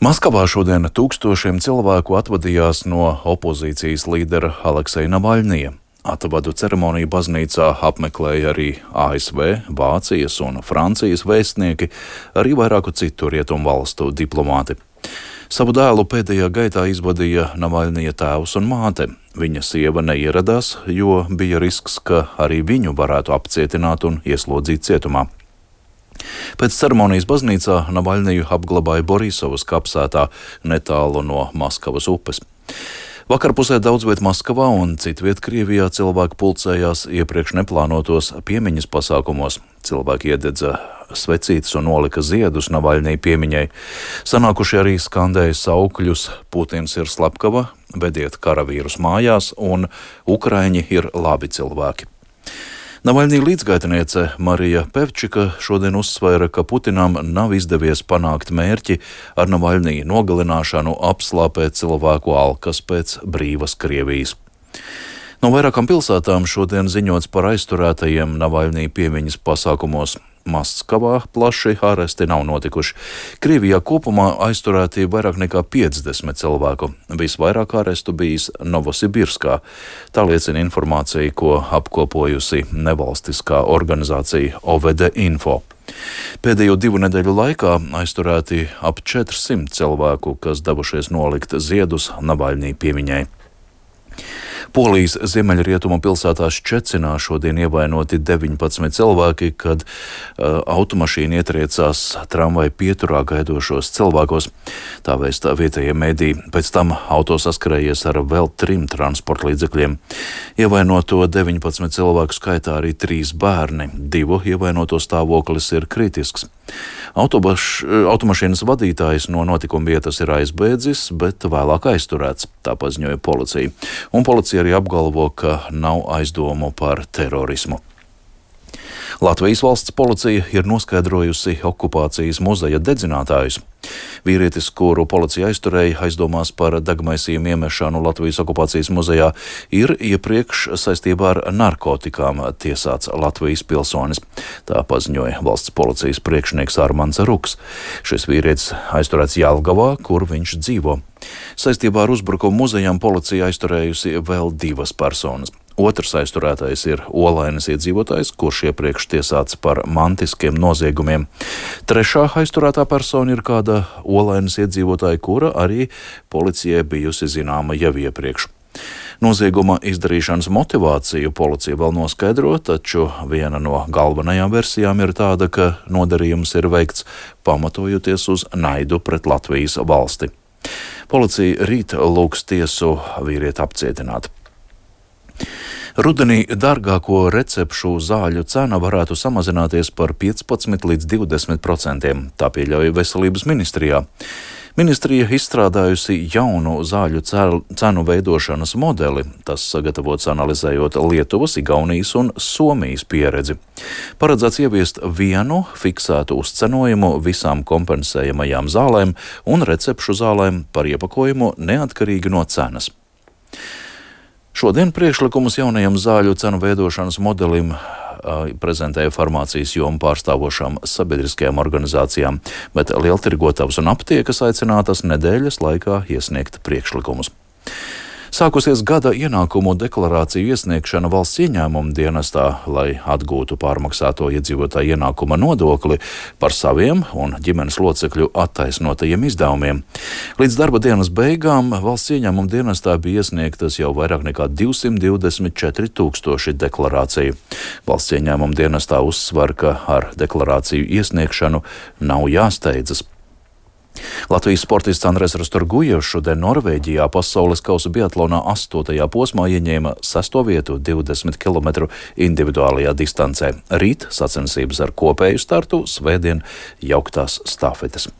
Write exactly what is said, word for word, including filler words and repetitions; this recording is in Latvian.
Maskavā šodien tūkstošiem cilvēku atvadījās no opozīcijas līdera Alekseja Navaļņija. Atvadu ceremoniju baznīcā apmeklēja arī A S V, Vācijas un Francijas vēstnieki, arī vairāku citu rietumu valstu diplomāti. Savu dēlu pēdējā gaitā izvadīja Navaļņija tēvs un māte. Viņa sieva neieradās, jo bija risks, ka arī viņu varētu apcietināt un ieslodzīt cietumā. Pēc ceremonijas baznīcā Navaļņiju apglabāja Borisovas kapsētā netālu no Maskavas upes. Vakarpusē daudzviet Maskavā un citviet Krievijā cilvēki pulcējās iepriekš neplānotos piemiņas pasākumos. Cilvēki iededza svecītes un nolika ziedus Navaļņija piemiņai. Sanākuši arī skandēja saukļus "Putins ir slepkava", "Vediet karavīrus mājās" un "Ukraiņi ir labi cilvēki". Navaļņija līdzgaitniece Marija Pevčika šodien uzsvēra, ka Putinam nav izdevies panākt mērķi ar Navaļņija nogalināšanu apslāpēt cilvēku alkas pēc brīvas Krievijas. No vairākām pilsētām šodien ziņots par aizturētajiem Navaļņija piemiņas pasākumos. Maskavā plaši āresti nav notikuši. Krievijā kopumā aizturēti vairāk nekā piecdesmit cilvēku. Visvairāk ārestu bijis Novosibirskā. Tā liecina informācija, ko apkopojusi nevalstiskā organizācija O V D Info. Pēdējo divu nedēļu laikā aizturēti ap četrsimt cilvēku, kas devušies nolikt ziedus Navaļņija piemiņai. Polijas ziemeļrietumu pilsētā Ščecinā šodien ievainoti deviņpadsmit cilvēki, kad uh, automašīna ietriecās tramvaja pieturā gaidošos cilvēkos. Tā vēsta vietējie mediji. Pēc tam auto saskarējies ar vēl trim transporta līdzekļiem. Ievainoto deviņpadsmit cilvēku skaitā arī trīs bērni. Divu ievainoto stāvoklis ir kritisks. Autobaš, automašīnas vadītājs no notikuma vietas ir aizbēdzis, bet vēlāk aizturēts, tā paziņoja policija. Un policija arī apgalvo, ka nav aizdomu par terorismu. Latvijas valsts policija ir noskaidrojusi okupācijas muzeja dedzinātājus. Vīrietis, kuru policija aizturēja aizdomās par degmaisījumu iemešanu Latvijas okupācijas muzejā, ir iepriekš saistībā ar narkotikām tiesāts Latvijas pilsonis. Tā paziņoja valsts policijas priekšnieks Armands Ruks. Šis vīrietis aizturēts Jelgavā, kur viņš dzīvo. Saistībā ar uzbrukumu muzejam policija aizturējusi vēl divas personas. Otrs aizturētais ir Olainas iedzīvotājs, kurš iepriekš tiesāts par mantiskiem noziegumiem. Trešā aizturētā persona ir kāda Olainas iedzīvotāja, kura arī policijai bijusi zināma jau iepriekš. Nozieguma izdarīšanas motivāciju policija vēl noskaidro, taču viena no galvenajām versijām ir tāda, ka nodarījums ir veikts pamatojoties uz naidu pret Latvijas valsti. Policija rīt lūgs tiesu vīrieti apcietināt. Rudenī dārgāko recepšu zāļu cena varētu samazināties par piecpadsmit līdz divdesmit procentiem, tā pieļauj Veselības ministrijā. Ministrija izstrādājusi jaunu zāļu cenu veidošanas modeli, tas sagatavots analizējot Lietuvas, Igaunijas un Somijas pieredzi. Paredzēts ieviest vienu fiksētu uzcenojumu visām kompensējamajām zālēm un recepšu zālēm par iepakojumu neatkarīgi no cenas. Šodien priekšlikumus jaunajam zāļu cenu veidošanas modelim uh, prezentēja farmācijas jomu pārstāvošām sabiedriskajām organizācijām, bet lieltirgotavas un aptiekas aicinātas nedēļas laikā iesniegt priekšlikumus. Sākusies gada ienākumu deklarāciju iesniegšana valsts ieņēmuma dienestā, lai atgūtu pārmaksāto iedzīvotāju ienākuma nodokli par saviem un ģimenes locekļu attaisnotajiem izdevumiem. Līdz darba dienas beigām valsts ieņēmuma dienestā bija iesniegtas jau vairāk nekā divsimt divdesmit četri tūkstoši deklarāciju. Valsts ieņēmuma dienestā uzsver, ka ar deklarāciju iesniegšanu nav jāsteidzas. Latvijas sportists Andrejs Rastorgujevs šodien Norvēģijā pasaules kausa biatlonā astotajā posmā ieņēma sesto vietu divdesmit kilometru individuālajā distancē. Rīt sacensības ar kopēju startu, svētdien jauktās stafetes.